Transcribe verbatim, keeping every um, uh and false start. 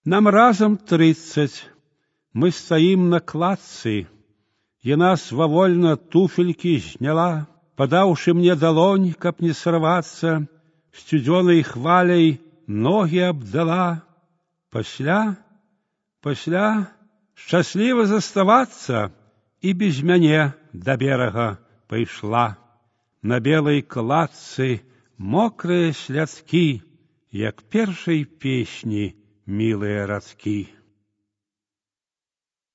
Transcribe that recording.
Нам разом тридцать. Мы стоим на кладцы. Яна свавольна туфельки зняла, падаўшы мне далонь, каб не сорваться, сцюдзёнай хваляй ноги абдала. Пасля, пасля шчасліва заставацца і без мяне да берага пайшла. На белай кладцы мокрыя сляцкі, як першай песні мілыя радкі.